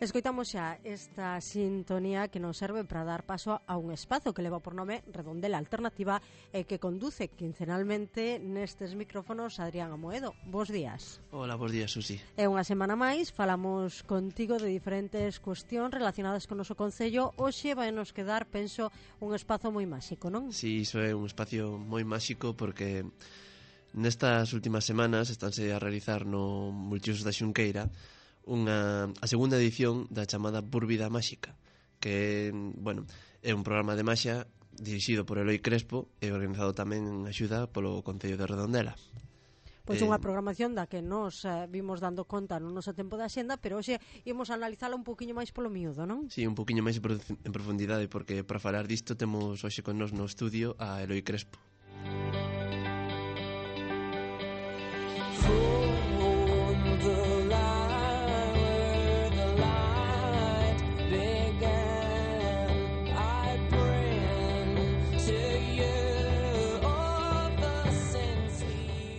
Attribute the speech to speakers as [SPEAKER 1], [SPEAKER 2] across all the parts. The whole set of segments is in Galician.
[SPEAKER 1] Escoitamos xa esta sintonía que nos serve para dar paso a un espazo que leva por nome Redondela Alternativa e que conduce quincenalmente nestes micrófonos Adrián Amoedo. Bos días.
[SPEAKER 2] Hola, bos días, Susi.
[SPEAKER 1] E unha semana máis falamos contigo de diferentes cuestións relacionadas con o noso concello. Hoxe vai nos quedar, penso, un espazo moi máxico, non?
[SPEAKER 2] Sí, iso é un espacio moi máxico porque nestas últimas semanas estánse a realizar no Multiusos da Xunqueira a segunda edición da chamada Búrbida Máxica, que, bueno, é un programa de maxia dirixido por Eloi Crespo e organizado tamén en axuda polo Concello de Redondela.
[SPEAKER 1] Pois unha programación da que nos vimos dando conta no noso tempo de axenda, pero hoxe imos analizala un poquinho máis polo miúdo, non?
[SPEAKER 2] Sí, un poquinho máis en profundidade, porque para falar disto temos hoxe con nos no estudio a Eloi Crespo.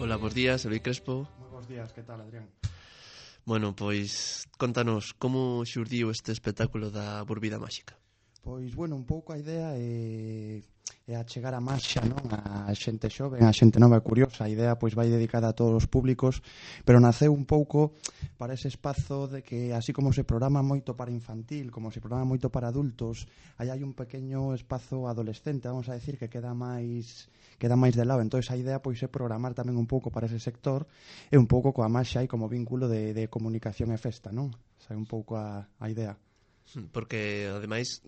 [SPEAKER 2] Hola, bos días, Eloi Crespo.
[SPEAKER 3] Moi bos días, que tal, Adrián?
[SPEAKER 2] Bueno, pois, contanos, como xurdiu este espectáculo da Búrbida Máxica?
[SPEAKER 3] Pois, bueno, un pouco a idea é achegar a marxa, non? A xente xoven, a xente nova e curiosa. A idea, pois, vai dedicada a todos os públicos, pero naceu un pouco para ese espazo de que, así como se programa moito para infantil, como se programa moito para adultos, aí hai un pequeño espazo adolescente, vamos a decir, que queda máis de lado. Entón, a idea, pois, é programar tamén un pouco para ese sector e un pouco coa marxa e como vínculo de comunicación e festa, non? Esa é un pouco a idea.
[SPEAKER 2] Porque, ademais,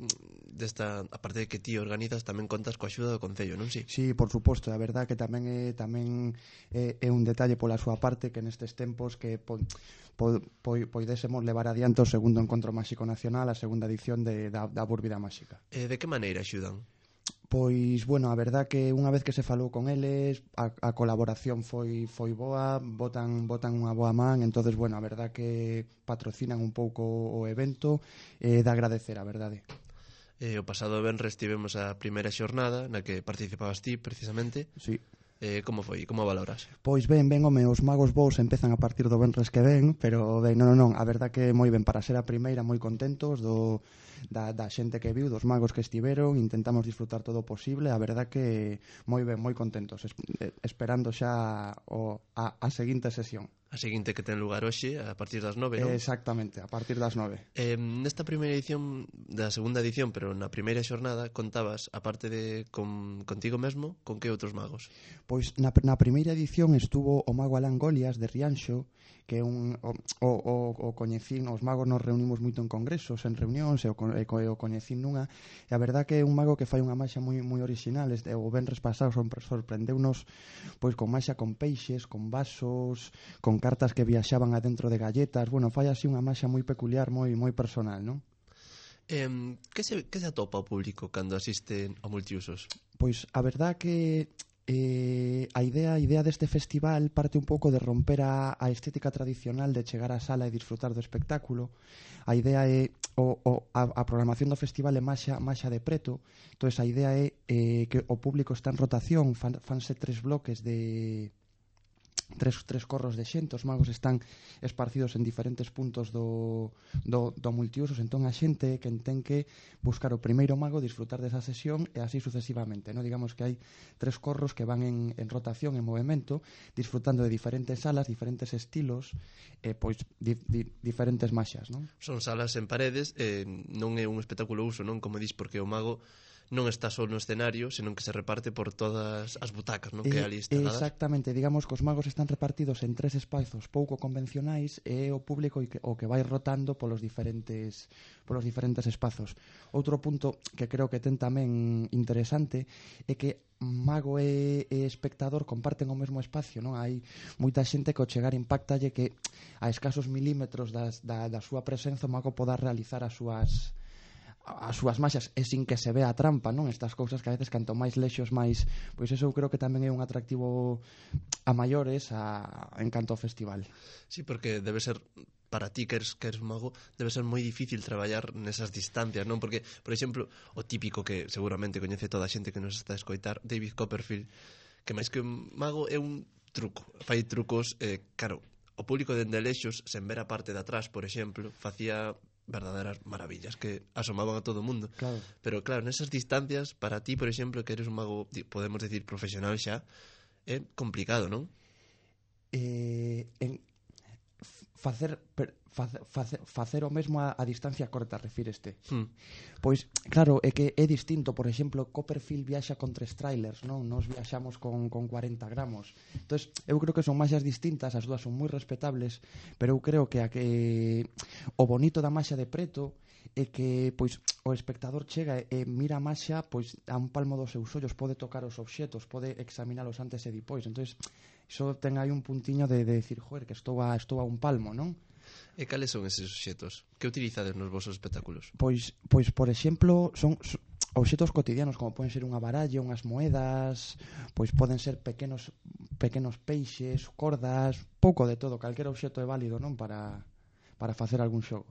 [SPEAKER 2] aparte de que ti organizas, tamén contas coa axuda do Concello, non si?
[SPEAKER 3] Sí, por suposto, a verdad que tamén é un detalle pola súa parte que nestes tempos que poidésemos levar adiante o segundo Encontro Máxico Nacional, a segunda edición da Búrbida Máxica.
[SPEAKER 2] De que maneira axudan?
[SPEAKER 3] Pois, bueno, a verdad que unha vez que se falou con eles, a colaboración foi boa, botan unha boa man, entonces, bueno, a verdad que patrocinan un pouco o evento, de agradecer, a verdade.
[SPEAKER 2] O pasado venres tivemos a primeira xornada na que participabas ti, precisamente.
[SPEAKER 3] Sí.
[SPEAKER 2] Como foi? Como valoras?
[SPEAKER 3] Pois ben, home, os magos vos empezan a partir do venres que ven, pero ben, non, a verdad que moi ben, para ser a primeira, moi contentos da xente que viu, dos magos que estiveron, intentamos disfrutar todo o posible, a verdad que moi ben, moi contentos, esperando xa a seguinte sesión.
[SPEAKER 2] A seguinte que ten lugar hoxe, a partir das 9, non?
[SPEAKER 3] Exactamente, a partir das 9.
[SPEAKER 2] Nesta primeira edición, da segunda edición, pero na primeira xornada, contabas, aparte de contigo mesmo, con que outros magos?
[SPEAKER 3] Pois na primeira edición estuvo o mago Alán Golias de Rianxo, que é o coñecín, os magos nos reunimos moito en congresos, en reunións, e o coñecín nunha, e a verdad que é un mago que fai unha maxia moi original. O venres pasado sorprendeunos pois con maxia con peixes, con vasos, con cartas que viaxaban adentro de galletas. Bueno, fai así unha maxia moi peculiar, moi personal, non?
[SPEAKER 2] Que se atopa o público cando asiste a Multiusos?
[SPEAKER 3] Pois a verdad que a idea deste festival parte un pouco de romper a estética tradicional de chegar á sala e disfrutar do espectáculo. A idea é a programación do festival é maxia de preto. Entón, a idea é que o público está en rotación, fanse 3 bloques de tres corros de xente, os magos están esparcidos en diferentes puntos do Multiusos, entón a xente que ten que buscar o primeiro mago, disfrutar desa sesión e así sucesivamente, non? Digamos que hai 3 corros que van en rotación, en movimento, disfrutando de diferentes salas, diferentes estilos e pois diferentes maxas, non?
[SPEAKER 2] Son salas en paredes, non é un espectáculo uso, non? Como dis, porque o mago non está só no escenario, senón que se reparte por todas as butacas, non? Que ali instaladas.
[SPEAKER 3] Exactamente, digamos que os magos están repartidos en 3 espazos pouco convencionais e o público o que vai rotando polos diferentes espazos. Outro punto que creo que ten tamén interesante é que mago e espectador comparten o mesmo espacio, non? Hai moita xente que ao chegar impactalle que a escasos milímetros da súa presenza o mago poda realizar as súas maxas e sin que se vea a trampa, non? Estas cousas que a veces canto máis lexos máis, pois eso eu creo que tamén é un atractivo a maiores en canto ao festival.
[SPEAKER 2] Sí, porque debe ser, para ti que eres mago, debe ser moi difícil traballar nesas distancias, non? Porque, por exemplo, o típico que seguramente coñece toda a xente que nos está a escoitar, David Copperfield, que máis que un mago é un truco, fai trucos, claro, o público dende lexos, sen ver a parte de atrás, por exemplo, facía verdaderas maravillas que asomaban a todo o mundo.
[SPEAKER 3] Claro.
[SPEAKER 2] Pero claro, nesas distancias, para ti, por exemplo, que eres un mago, podemos decir, profesional xa, é complicado, non?
[SPEAKER 3] Facer o mesmo a distancia corta, refíreste. Pois, claro, é que é distinto. Por exemplo, Copperfield viaxa con 3 trailers, non? Nos viaxamos con 40 gramos. Entón, eu creo que son maxas distintas, as dúas son moi respetables, pero eu creo que o bonito da maxa de preto é que pois o espectador chega e mira a maxa pois a un palmo dos seus ollos, pode tocar os obxetos, pode examinalos antes e depois. Entón, iso ten aí un puntiño de decir, joder, que estou a un palmo, non?
[SPEAKER 2] E cales son eses obxetos? Que utilizades nos vosos espectáculos?
[SPEAKER 3] Pois por exemplo, son obxetos cotidianos, como poden ser unha baralla, unhas moedas, pois poden ser pequenos peixes, cordas, pouco de todo, calquera obxeto é válido, non, para facer algún xogo.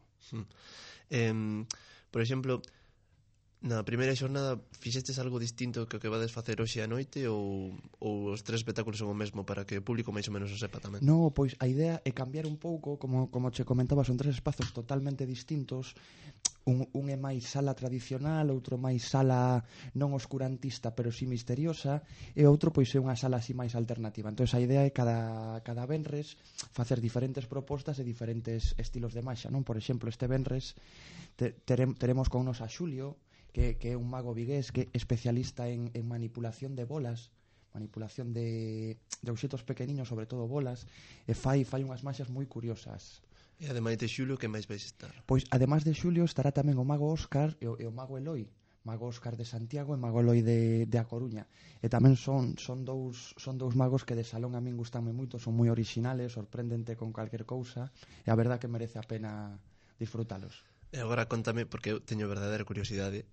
[SPEAKER 2] Por exemplo, na primeira xornada fixestes algo distinto que o que vades facer hoxe a noite ou os 3 espectáculos son o mesmo para que o público máis ou menos o sepa tamén?
[SPEAKER 3] No, pois a idea é cambiar un pouco, como che comentaba, son 3 espazos totalmente distintos. Un é máis sala tradicional, outro máis sala non oscurantista, pero si misteriosa, e outro pois é unha sala así máis alternativa. Entón a idea é cada venres facer diferentes propostas e diferentes estilos de maxa, non? Por exemplo, este venres teremos con nos a Xulio, que é un mago vigués que é especialista en manipulación de bolas, manipulación de obxetos pequeniños, sobre todo bolas, e fai unhas maxas moi curiosas.
[SPEAKER 2] E ademais de Xulio, que máis vais estar?
[SPEAKER 3] Pois, ademais de Xulio, estará tamén o mago Óscar e o mago Eloi, mago Óscar de Santiago e mago Eloi de A Coruña. E tamén son dous magos que de salón a min gustanme moito, son moi orixinales, sorprendente con calquer cousa, e a verdad que merece a pena disfrutalos.
[SPEAKER 2] E agora contame, porque eu teño verdadeira curiosidade,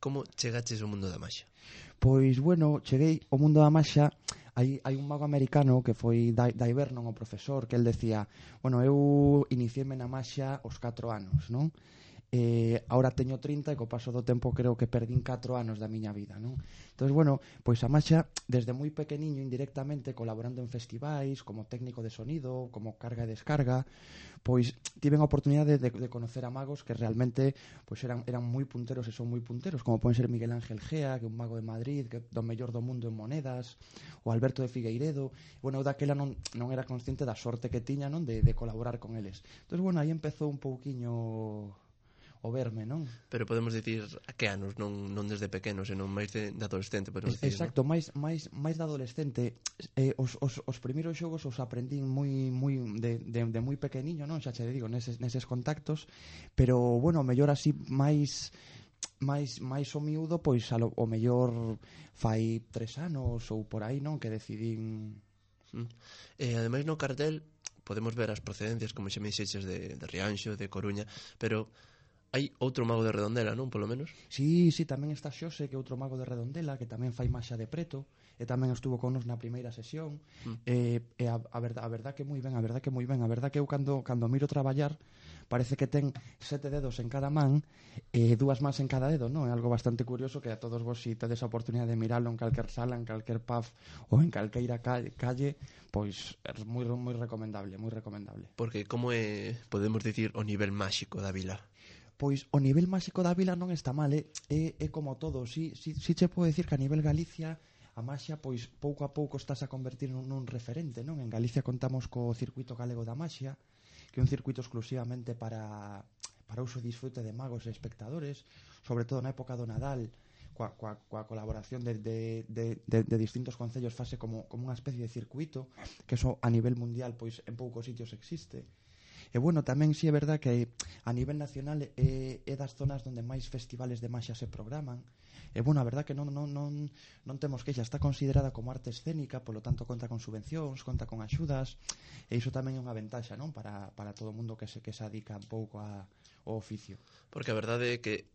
[SPEAKER 2] como chegaches ao mundo da maxa?
[SPEAKER 3] Pois, bueno, cheguei ao mundo da maxa. Hai un mago americano que foi Dai Vernon, o profesor, que el decía, bueno, eu iniciéme na maxa aos 4 anos, non? Ahora teño 30 e co paso do tempo creo que perdín 4 anos da miña vida, non? Entón, bueno, pois a maxa desde moi pequeniño indirectamente colaborando en festivais como técnico de sonido, como carga e descarga, pois tiven a oportunidade de conocer a magos que realmente pois eran moi punteros e son moi punteros, como poden ser Miguel Ángel Gea, que é un mago de Madrid, que é do mellor do mundo en monedas, ou Alberto de Figueiredo. Bueno, eu daquela non era consciente da sorte que tiña, non, de colaborar con eles. Entón, bueno, aí empezou un pouquiño o verme, non?
[SPEAKER 2] Pero podemos dicir a que anos, non desde pequeno, senón máis de adolescente, podemos dicir,
[SPEAKER 3] exacto,
[SPEAKER 2] ¿no?
[SPEAKER 3] máis de adolescente. Os primeiros xogos os aprendín moi de moi pequeniño, non? Xa che digo, neses contactos, pero bueno, mellor así máis o miúdo, pois o mellor fai 3 anos ou por aí, non? Que decidín.
[SPEAKER 2] Ademais no cartel podemos ver as procedencias, como xa me dixeches, de Rianxo, de Coruña, pero hai outro mago de Redondela, non? Polo menos?
[SPEAKER 3] Sí, tamén está Xose, que é outro mago de Redondela, que tamén fai maxa de preto, e tamén estuvo con nos na primeira sesión. E a verdad que moi ben, a verdad que eu cando miro traballar parece que ten 7 dedos en cada man e 2 mans en cada dedo, non? É algo bastante curioso que a todos vos, si tedes a oportunidade de miralo en calquer sala, en calquer pub ou en calqueira calle, pois é moi recomendable, moi recomendable.
[SPEAKER 2] Porque como é, podemos dicir, o nivel máxico da vila?
[SPEAKER 3] Pois o nivel máxico da vila non está mal, é como todo. Si che podo dicir que a nivel Galicia a maxia, pois pouco a pouco estás a convertir nun referente, non? En Galicia contamos co circuito galego da maxia, que é un circuito exclusivamente para uso e disfrute de magos e espectadores, sobre todo na época do Nadal, coa colaboración de distintos concellos, fase como unha especie de circuito, que eso a nivel mundial pois en poucos sitios existe. E bueno, tamén si é verdad que a nivel nacional é das zonas onde máis festivales de maxia se programan. E bueno, a verdad que non temos queixa, está considerada como arte escénica, polo tanto conta con subvencións, conta con axudas, e iso tamén é unha ventaxa, non? Para todo o mundo que se adica un pouco ao oficio.
[SPEAKER 2] Porque a verdade é que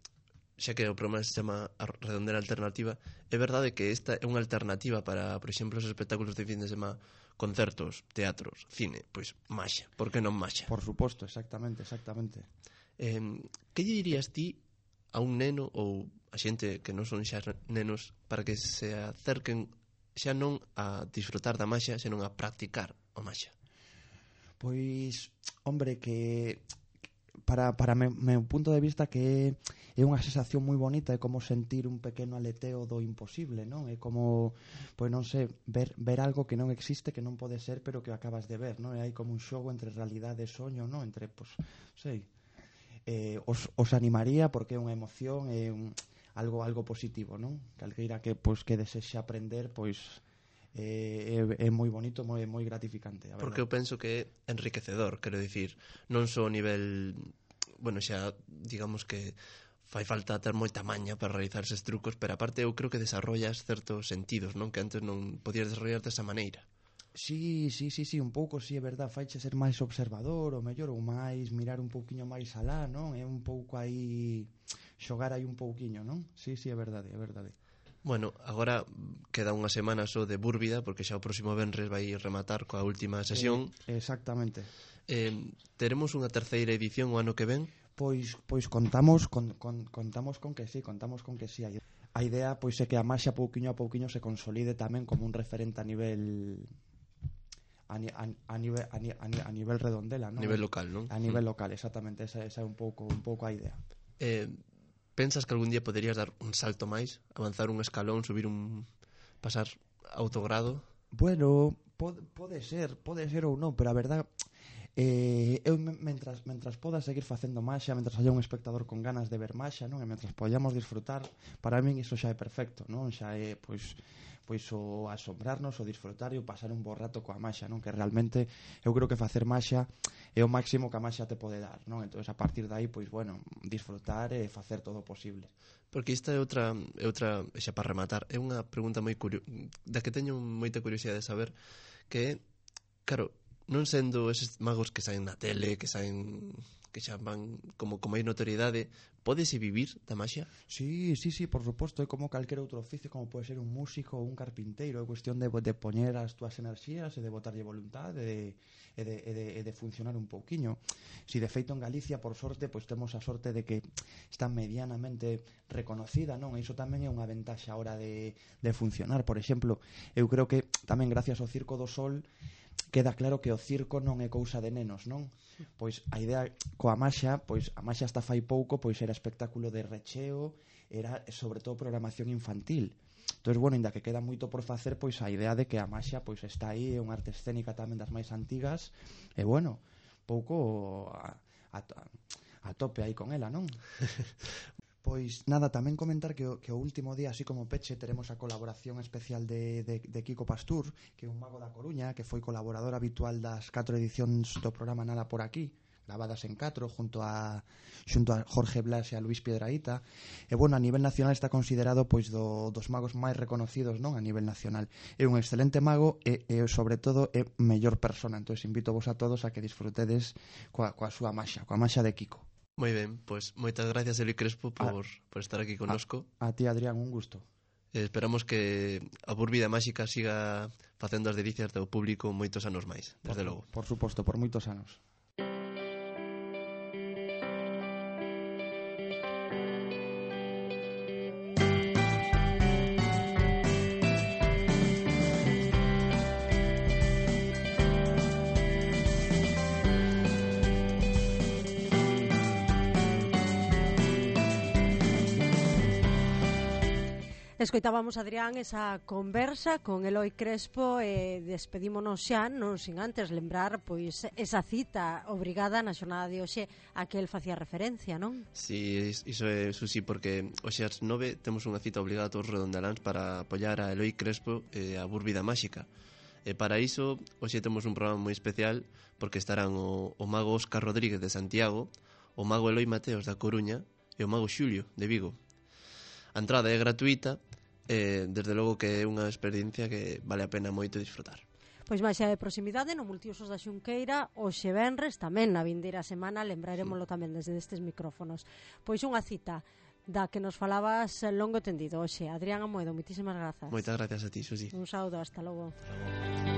[SPEAKER 2] xa que o programa se chama a Redondela Alternativa, é verdade que esta é unha alternativa para, por exemplo, os espectáculos de fin de semana, concertos, teatros, cine, pois maxa, por que non maxa?
[SPEAKER 3] Por suposto, exactamente.
[SPEAKER 2] Que lle dirías ti a un neno ou a xente que non son xa nenos para que se acerquen xa non a disfrutar da maxa, senón a practicar a maxa?
[SPEAKER 3] Pois, hombre, que para meu punto de vista que é unha sensación moi bonita, é como sentir un pequeno aleteo do imposible, non? É como, pois non sei, ver algo que non existe, que non pode ser, pero que acabas de ver, non? E hai como un xogo entre realidade e soño, non? Entre, pois, sei, os animaría porque é unha emoción, é algo positivo, non? Calqueira que desexe aprender, pois é moi bonito, moi gratificante, a verdade.
[SPEAKER 2] Porque eu penso que é enriquecedor, quero dicir, non só a nivel, bueno, xa digamos que fai falta ter moita maña para realizar eses trucos, pero aparte eu creo que desarrollas certos sentidos, non? Que antes non podías desarrollar desa maneira.
[SPEAKER 3] Sí, un pouco, sí, é verdad, faiche ser máis observador, ou mellor, ou máis mirar un pouquiño máis alá, non? É un pouco aí xogar aí un pouquiño, non? Sí, é verdade, é verdade.
[SPEAKER 2] Bueno, agora queda unha semana só de Búrbida, porque xa o próximo venres vai rematar coa última sesión.
[SPEAKER 3] Exactamente.
[SPEAKER 2] Teremos unha terceira edición o ano que ven?
[SPEAKER 3] Pois contamos con que sí, A idea pois é que a maxia pouquiño a pouquiño se consolide tamén como un referente a nivel redondela, non?
[SPEAKER 2] A nivel local, non?
[SPEAKER 3] A nivel local, exactamente, esa é un pouco a idea.
[SPEAKER 2] Pensas que algún día poderías dar un salto máis, avanzar un escalón, pasar a outro grado?
[SPEAKER 3] Bueno, pode ser ou non, pero a verdad eu mentras poda seguir facendo maxia, mentras haya un espectador con ganas de ver maxia, non? E mentras podamos disfrutar, para min iso xa é perfecto, non? Xa é pois o asombrarnos, o disfrutar e o pasar un bo rato coa maxia, non? Que realmente eu creo que facer maxia é o máximo que a maxia te pode dar, non? Entón a partir de aí, pois bueno, disfrutar e facer todo o posible.
[SPEAKER 2] Porque esta é outra, xa para rematar, é unha pregunta moi da que teño moita curiosidade de saber, que claro, non sendo eses magos que saen na tele, que xa van como hai notoriedade, pódese vivir da maxia?
[SPEAKER 3] Sí, por suposto, é como calquer outro oficio, como pode ser un músico ou un carpinteiro, é cuestión de poñer as túas enerxías e de botarlle voluntade e de funcionar un pouquiño. Si de feito en Galicia, por sorte, pois temos a sorte de que está medianamente reconocida, non? E iso tamén é unha ventaxa a hora de funcionar. Por exemplo, eu creo que tamén gracias ao Circo do Sol queda claro que o circo non é cousa de nenos, non? Pois a idea coa maxia, pois a maxia hasta fai pouco pois era espectáculo de recheo, era sobre todo programación infantil. Entón, bueno, ainda que queda moito por facer, pois a idea de que a maxia pois está aí, é unha arte escénica tamén das máis antigas, e bueno, pouco a tope aí con ela, non? Pois nada, tamén comentar que o último día, así como peche, teremos a colaboración especial de Kiko Pastur, que é un mago da Coruña, que foi colaborador habitual das 4 edicións do programa Nada por Aquí, gravadas en 4, xunto a Jorge Blas e a Luis Piedrahita. E bueno, a nivel nacional está considerado pois dos magos máis reconocidos, non? A nivel nacional. É un excelente mago e sobre todo é mellor persona. Entón, invito vos a todos a que disfrutedes coa súa maxia, coa maxia de Kiko.
[SPEAKER 2] Moi ben, pois moitas gracias, Eli Crespo, por estar aquí connosco.
[SPEAKER 3] A ti, Adrián, un gusto.
[SPEAKER 2] Esperamos que a Búrbida Máxica siga facendo as delicias do público moitos anos máis, desde logo.
[SPEAKER 3] Por suposto, por moitos anos.
[SPEAKER 1] Escoitábamos, Adrián, esa conversa con Eloi Crespo e despedímonos xa, non sin antes lembrar pois esa cita obrigada na xornada de hoxe a que el facía referencia, non?
[SPEAKER 2] Sí, iso é Susi, porque hoxe ás 9 temos unha cita obligada a todos os redondeláns para apoiar a Eloi Crespo e a Búrbida Máxica. E para iso, hoxe temos un programa moi especial porque estarán o mago Óscar Rodríguez de Santiago, o mago Eloi Mateos da Coruña e o mago Xulio de Vigo. A entrada é gratuita e desde logo que é unha experiencia que vale a pena moito disfrutar.
[SPEAKER 1] Pois máis xa de proximidade no Multiusos da Xunqueira, hoxe venres, tamén na vindeira semana, lembraremoslo tamén desde estes micrófonos. Pois unha cita da que nos falabas longo tendido hoxe. Adrián Amoedo, moitísimas grazas.
[SPEAKER 2] Moitas gracias a ti, Susi.
[SPEAKER 1] Un saúdo, hasta logo.
[SPEAKER 2] Hasta logo.